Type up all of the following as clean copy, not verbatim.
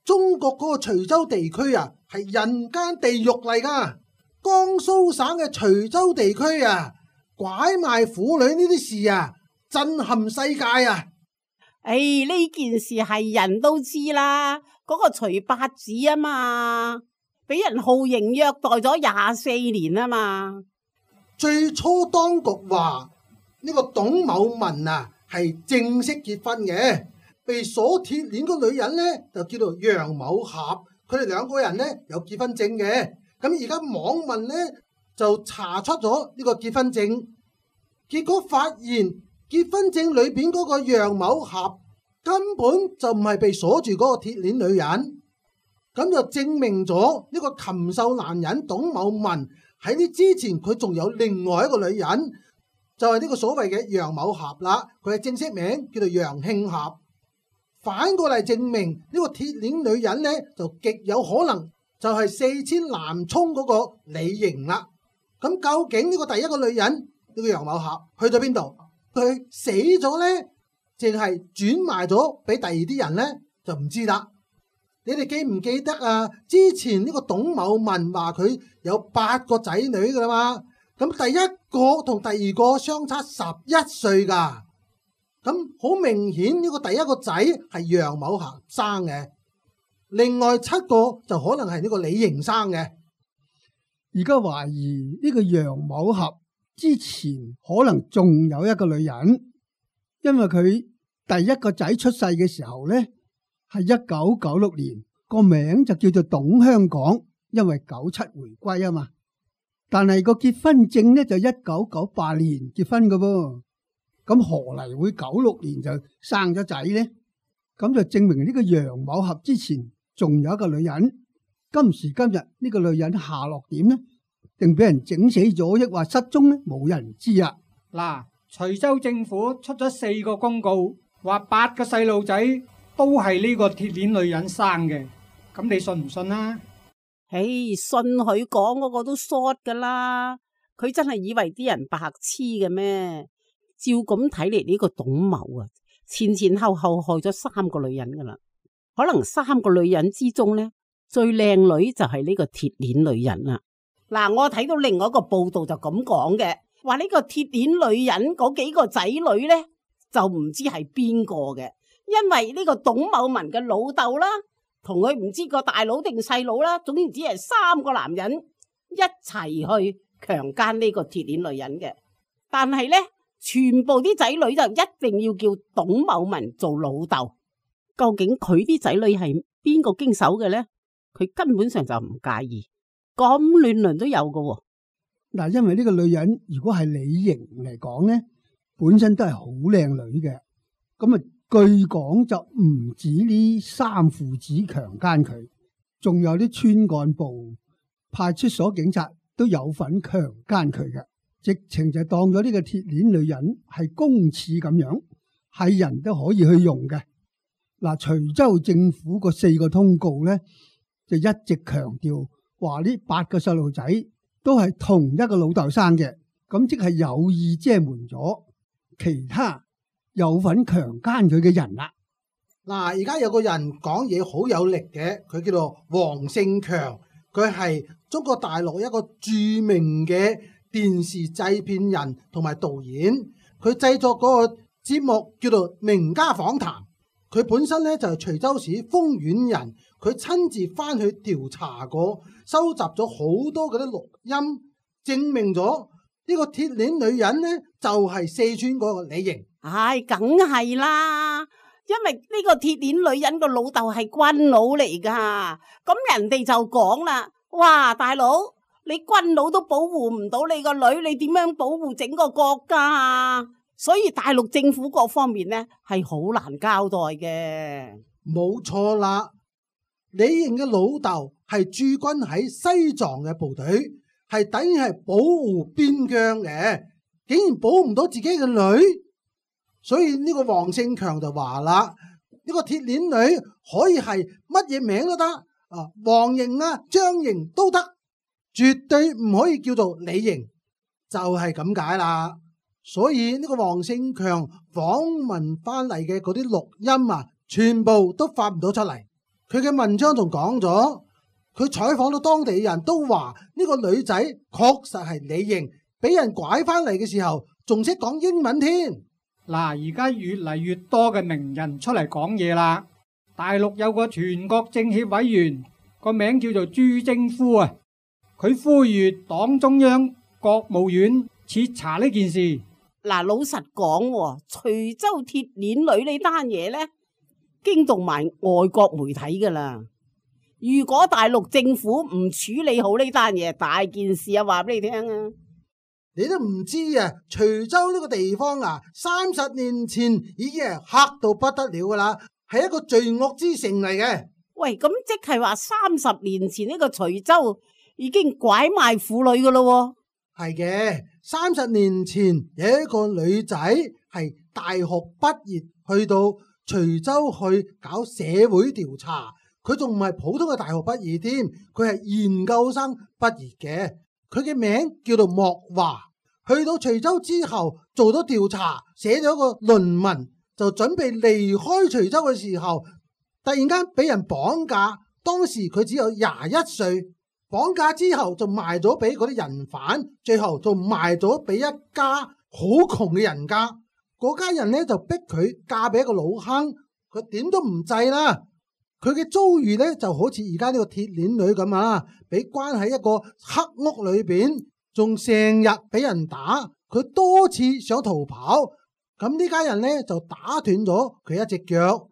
中國嗰個徐州地區啊，係人間地獄嚟噶。江蘇省嘅徐州地區啊，拐賣婦女呢啲事啊，震撼世界啊！呢件事係人都知啦，嗰個徐八子啊嘛，俾人酷刑虐待咗24年啊嘛。最初當局話呢個董某文啊係正式結婚嘅，被鎖鐵鏈個女人呢就叫做楊某俠，佢哋兩個人呢有結婚證嘅。咁而家網民呢就查出咗呢個結婚證，結果發現結婚證裏邊嗰個楊某俠根本就唔係被鎖住嗰個鐵鏈女人，咁就證明咗呢個禽獸男人董某文喺呢之前佢仲有另外一個女人，就係呢個所謂嘅楊某俠啦，佢嘅正式名叫做楊慶俠。反過嚟證明呢個鐵鏈女人呢就極有可能就係四川南充嗰個李瑩啦。咁究竟呢個第一個女人呢個楊某俠去咗邊度？佢死咗呢，淨係轉賣咗俾第二啲人呢，就唔知啦。你哋記唔記得啊？之前呢個董某文話佢有8個仔女噶啦嘛，咁第一個同第二個相差11歲噶，咁好明顯呢個第一個仔係楊某俠生嘅，另外7個就可能係呢個李瑩生嘅。而家懷疑呢個楊某俠之前可能仲有一個女人，因為佢第一個仔出世嘅時候呢，係1996年，個名就叫做董香港，因為97回歸啊嘛。但係個結婚證呢就1998年結婚噶噃，咁何嚟會96年就生咗仔呢？咁就證明呢個楊某俠之前仲有一個女人。今時今日呢個女人下落點呢？定俾人整死咗，抑或失蹤呢？冇人知啊！嗱，徐州政府出咗4個公告，話8個細路仔都係呢個鐵鏈女人生嘅，咁你信唔信啊？信佢講嗰個都 short 噶啦，佢真係以為啲人白痴嘅咩？照咁睇嚟，呢個董某啊，前後害咗3個女人噶啦，可能3個女人之中呢，最靚女就係呢個鐵鏈女人啦。嗱，我睇到另外一個報道就咁講嘅，話呢個鐵鏈女人嗰幾個仔女呢，就唔知係邊個嘅，因為呢個董某文嘅老豆啦，同佢唔知個大佬定細佬啦，總之係3個男人一齊去強姦呢個鐵鏈女人嘅，但係呢，全部啲仔女就一定要叫董某文做老豆。究竟佢啲仔女係邊個經手嘅呢？佢根本上就唔介意。咁亂倫都有㗎喎。嗱，因為呢個女人如果係李瑩嚟講咧，本身都係好靚女嘅。咁啊，據講就唔止呢3父子強姦佢，仲有啲村幹部、派出所警察都有份強姦佢嘅，直情就當咗呢個鐵鏈女人係公廁咁樣，係人都可以去用嘅。嗱，徐州政府個4個通告咧，就一直強調。話呢8個細路仔都係同一個老豆生嘅，咁即係有意遮瞞咗其他有份強姦佢嘅人啦。嗱，而家有個人講嘢好有力嘅，佢叫做黃勝強，佢係中國大陸一個著名嘅電視製片人同埋導演，佢製作嗰個節目叫做《名家訪談》，佢本身咧就係徐州市豐縣人。佢親自翻去調查過，收集咗好多嗰啲錄音，證明咗呢個鐵鏈女人呢就係四川嗰個李瑩。梗係啦，因為呢個鐵鏈女人個老豆係軍佬嚟噶，咁人哋就講啦，哇，大佬，你軍佬都保護唔到你個女，你點樣保護整個國家啊？所以大陸政府各方面呢係好難交代嘅。冇錯啦。李瑩嘅老豆係駐軍喺西藏嘅部隊，係等於係保護邊疆嘅，竟然保唔到自己嘅女，所以呢個黃勝強就話啦，呢個鐵鏈女可以係乜嘢名都得，黃瑩啊、張瑩都得，絕對唔可以叫做李瑩，就係咁解啦。所以呢個黃勝強訪問翻嚟嘅嗰啲錄音啊，全部都發唔到出嚟。佢嘅文章仲講咗，佢採訪到當地人都話呢個女仔確實係李瑩，俾人拐翻嚟嘅時候仲識講英文添。嗱，而家越嚟越多嘅名人出嚟講嘢啦。大陸有個全國政協委員，個名叫做朱征夫啊，佢呼籲黨中央、國務院徹查呢件事。嗱，老實講喎，徐州鐵鏈女呢單嘢呢，驚動埋外國媒體噶啦。如果大陸政府唔處理好呢單嘢，大件事啊，話俾你聽啊！你都唔知啊，徐州呢個地方啊，30年前已經係黑到不得了噶啦，係一個罪惡之城嚟嘅。喂，咁即係話30年前呢個徐州已經拐賣婦女噶咯？係嘅，30年前有一個女仔係大學畢業去到徐州去搞社會調查，佢仲唔係普通嘅大學畢業添，佢係研究生畢業嘅。佢嘅名叫做莫華，去到徐州之後做咗調查，寫咗個論文，就準備離開徐州嘅時候，突然間俾人綁架。當時佢只有21歲，綁架之後就賣咗俾嗰啲人販，最後就賣咗俾一家好窮嘅人家。嗰家人呢就逼佢嫁俾一個老坑，佢點都唔制啦。佢嘅遭遇呢就好似而家呢個鐵鏈女咁啊，俾關喺一個黑屋裏邊，仲成日俾人打。佢多次想逃跑，咁呢家人呢就打斷咗佢一隻腳。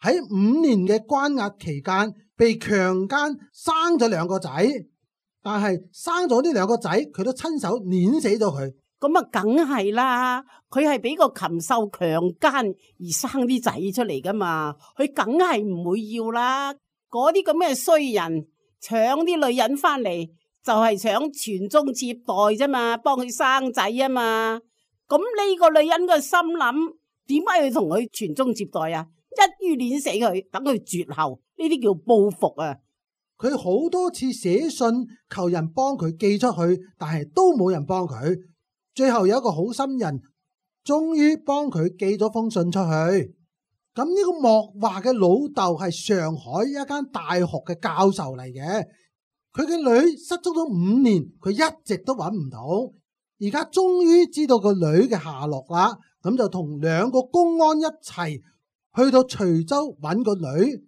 喺5年嘅關押期間，被強姦，生咗2個仔，但係生咗呢2個仔，佢都親手碾死咗佢。咁啊，梗係啦，佢係俾個禽獸強姦而生啲仔出嚟噶嘛，佢梗係唔會要啦。嗰啲咁嘅衰人搶啲女人翻嚟，就係想傳宗接代啫嘛，幫佢生仔啊嘛。咁呢個女人嘅心諗，點解要同佢傳宗接代啊？一於碾死佢，等佢絕後，呢啲叫報復啊！佢好多次寫信求人幫佢寄出去，但係都冇人幫佢。最後有一個好心人，終於幫佢寄咗封信出去。咁呢個莫華嘅老豆係上海一間大學嘅教授嚟嘅，佢嘅女失蹤咗5年，佢一直都揾唔到。而家終於知道個女嘅下落啦，咁就同2個公安一齊去到徐州揾個女，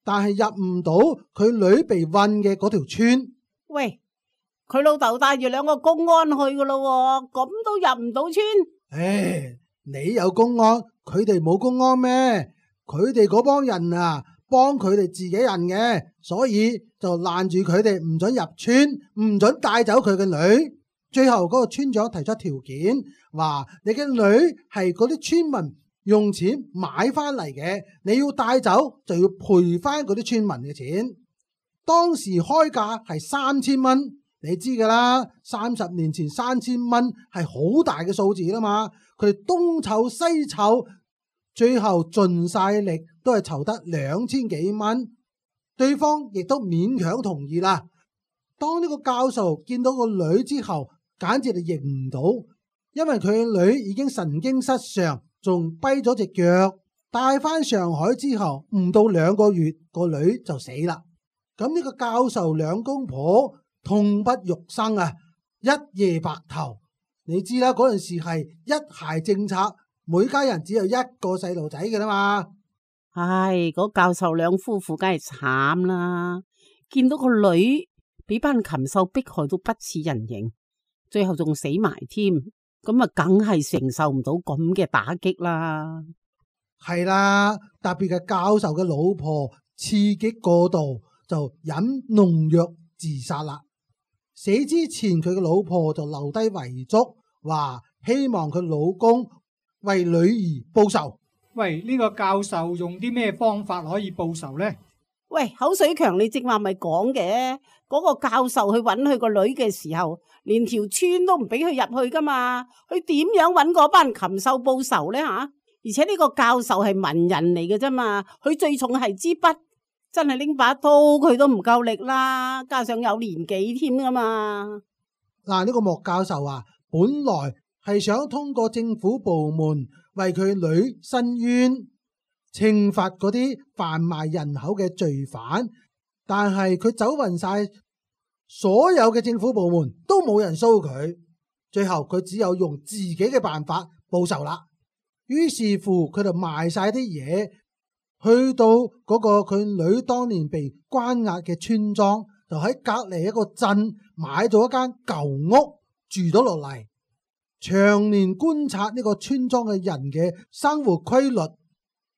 但係入唔到佢女被困嘅嗰條村。喂，佢老豆帶住2個公安去噶咯，咁都入唔到村？唉，你有公安，佢哋冇公安咩？佢哋嗰幫人啊，幫佢哋自己人嘅，所以就攔住佢哋，唔准入村，唔准帶走佢嘅女。最後嗰個村長提出條件，話你嘅女係嗰啲村民用錢買翻嚟嘅，你要帶走就要賠翻嗰啲村民嘅錢。當時開價係3000蚊，你知噶啦，30年前3000蚊係好大嘅數字啦嘛。佢哋東湊西湊，最後盡晒力都係籌得2000幾蚊，對方亦都勉強同意啦。當呢個教授見到個女之後，簡直就認唔到，因為佢嘅女已經神經失常，仲跛咗隻腳。帶翻上海之後，唔到2個月，個女就死啦。咁呢個教授2公婆痛不欲生啊，一夜白頭。你知啦，嗰陣時係一孩政策，每家人只有1個細路仔嘅啦嘛。唉，嗰教授2夫婦梗係慘啦，見到個女俾班禽獸迫害到不似人形，最後仲死埋添，咁啊梗係承受唔到咁嘅打擊啦。係啦，特別係教授嘅老婆刺激過度，就飲農藥自殺啦。死之前佢嘅老婆就留低遺囑，話希望佢老公為女兒報仇。喂，呢個教授用啲咩方法可以報仇呢？喂，口水強，你正話咪講嘅，嗰個教授去揾佢個女嘅時候，連條村都唔俾佢入去噶嘛，佢點樣揾嗰班禽獸報仇呢？吓？而且呢個教授係文人嚟嘅啫嘛，佢最重係支筆，真係拎把刀佢都唔夠力啦，加上有年紀添噶嘛。嗱，呢個莫教授啊，本來係想通過政府部門為佢女申冤，懲罰嗰啲販賣人口嘅罪犯，但係佢走勻晒所有嘅政府部門，都冇人騷佢。最後佢只有用自己嘅辦法報仇啦。於是乎佢就賣晒啲嘢，去到嗰個佢女當年被關押嘅村莊，就喺隔籬一個鎮買咗一間舊屋住咗落嚟，長年觀察呢個村莊嘅人嘅生活規律。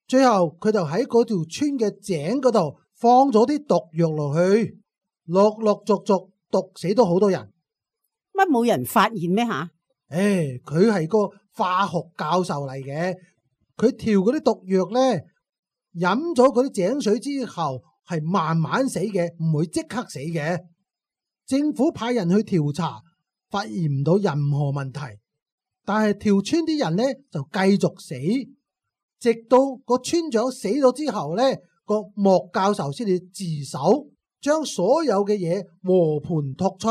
最後佢就喺嗰條村嘅井嗰度放咗啲毒藥落去，陸陸續續毒死咗好多人。乜冇人發現咩吓？佢係個化學教授嚟嘅，佢調嗰啲毒藥呢，飲咗嗰啲井水之後係慢慢死嘅，唔會即刻死嘅。政府派人去調查，發現唔到任何問題，但係條村啲人呢就繼續死，直到個村長死咗之後呢，個莫教授先至自首，將所有嘅嘢和盤托出。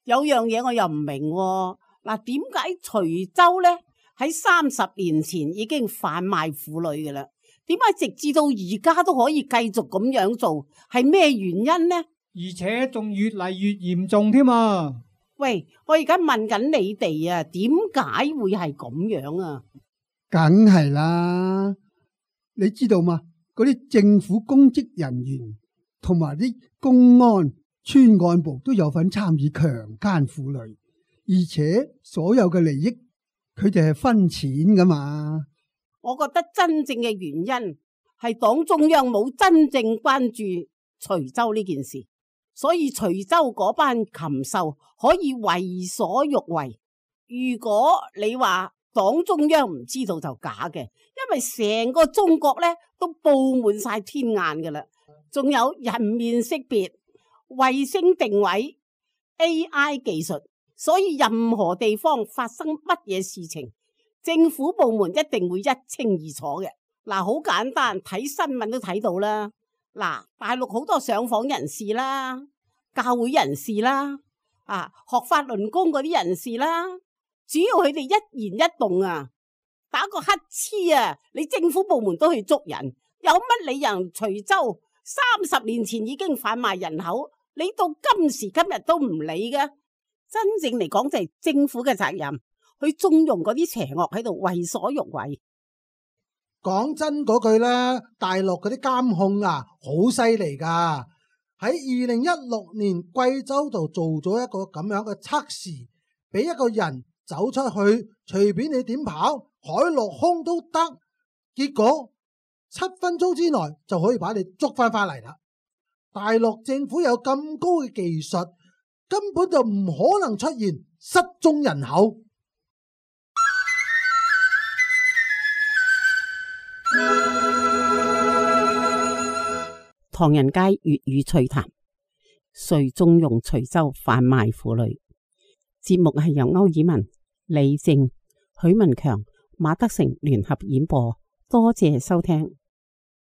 有樣嘢我又唔明喎，嗱，點解徐州呢喺30年前已經販賣婦女嘅啦？點解直至到而家都可以繼續咁樣做？係咩原因呢？而且仲越嚟越嚴重添啊！喂，我而家問緊你哋啊，點解會係咁樣啊？梗係啦，你知道嘛？嗰啲政府公職人員同埋啲公安、村幹部都有份參與強姦婦女，而且所有嘅利益佢哋係分錢噶嘛。我覺得真正嘅原因係黨中央冇真正關注徐州呢件事，所以徐州嗰班禽獸可以為所欲為。如果你話黨中央唔知道就假嘅，因為成個中國呢都佈滿晒天眼噶啦，仲有人面識別、衛星定位、AI 技術，所以任何地方發生乜嘢事情，政府部門一定會一清二楚嘅。嗱，好簡單，睇新聞都睇到啦。嗱，大陸好多上訪人士啦，教會人士啦，學法輪功嗰啲人士啦，只要佢哋一言一動啊，打個乞嗤啊，你政府部門都去捉人。有乜理由徐州30年前已經販賣人口，你到今時今日都唔理嘅？真正嚟講就係政府嘅責任，去縱容嗰啲邪惡喺度為所欲為。講真嗰句啦，大陸嗰啲監控啊，好犀利噶。喺2016年貴州度做咗一個咁樣嘅測試，俾一個人走出去，隨便你點跑，海陸空都得，結果7分鐘之內就可以把你捉翻嚟啦。大陸政府有咁高嘅技術，根本就唔可能出現失蹤人口。唐人街粵語趣談，誰縱容徐州販賣婦女？節目係由歐爾文、李靜、許文強、馬德成聯合演播，多謝收聽。